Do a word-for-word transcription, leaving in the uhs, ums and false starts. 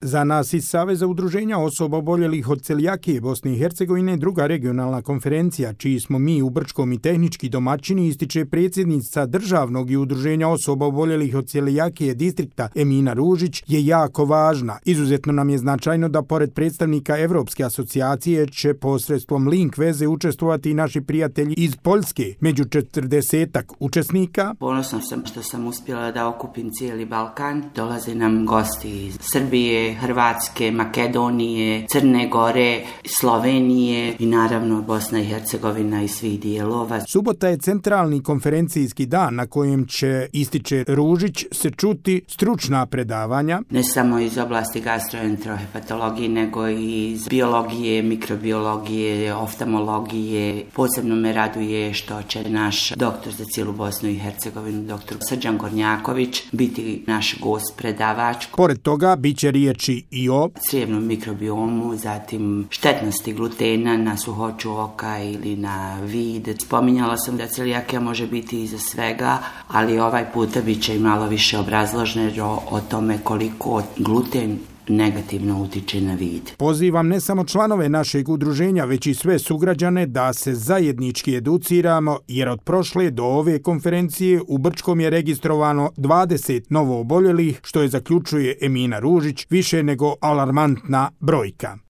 Za nas iz Saveza udruženja osoba oboljelih od celijakije Bosne i Hercegovine druga regionalna konferencija, čiji smo mi u Brčkom i tehnički domaćini, ističe predsjednica Državnog i udruženja osoba oboljelih od celijakije distrikta Emina Ružić, je jako važna. Izuzetno nam je značajno da pored predstavnika Evropske asocijacije će posredstvom link veze učestvovati i naši prijatelji iz Poljske. Među četrdesetak učesnika ponosna sam što sam uspjela da okupim cijeli Balkan. Dolaze nam gosti iz Srbije, Hrvatske, Makedonije, Crne Gore, Slovenije i naravno Bosna i Hercegovina i svih dijelova. Subota je centralni konferencijski dan na kojem će, ističe Ružić, se čuti stručna predavanja. Ne samo iz oblasti gastroenterohepatologije, nego i iz biologije, mikrobiologije, oftalmologije. Posebno me raduje što će naš doktor za cijelu Bosnu i Hercegovinu, doktor Srđan Gornjaković, biti naš gost predavač. Pored toga bit će riječi i o crijevnom mikrobiomu, zatim štetnosti glutena na suhoću oka ili na vid. Spominjala sam da celijakija može biti iza svega, ali ovaj puta bit će i malo više obrazloženo o tome koliko gluten negativno utiče na vid. Pozivam ne samo članove našeg udruženja, već i sve sugrađane da se zajednički educiramo, jer od prošle do ove konferencije u Brčkom je registrovano dvadeset novooboljelih, što je, zaključuje Emina Ružić, više nego alarmantna brojka.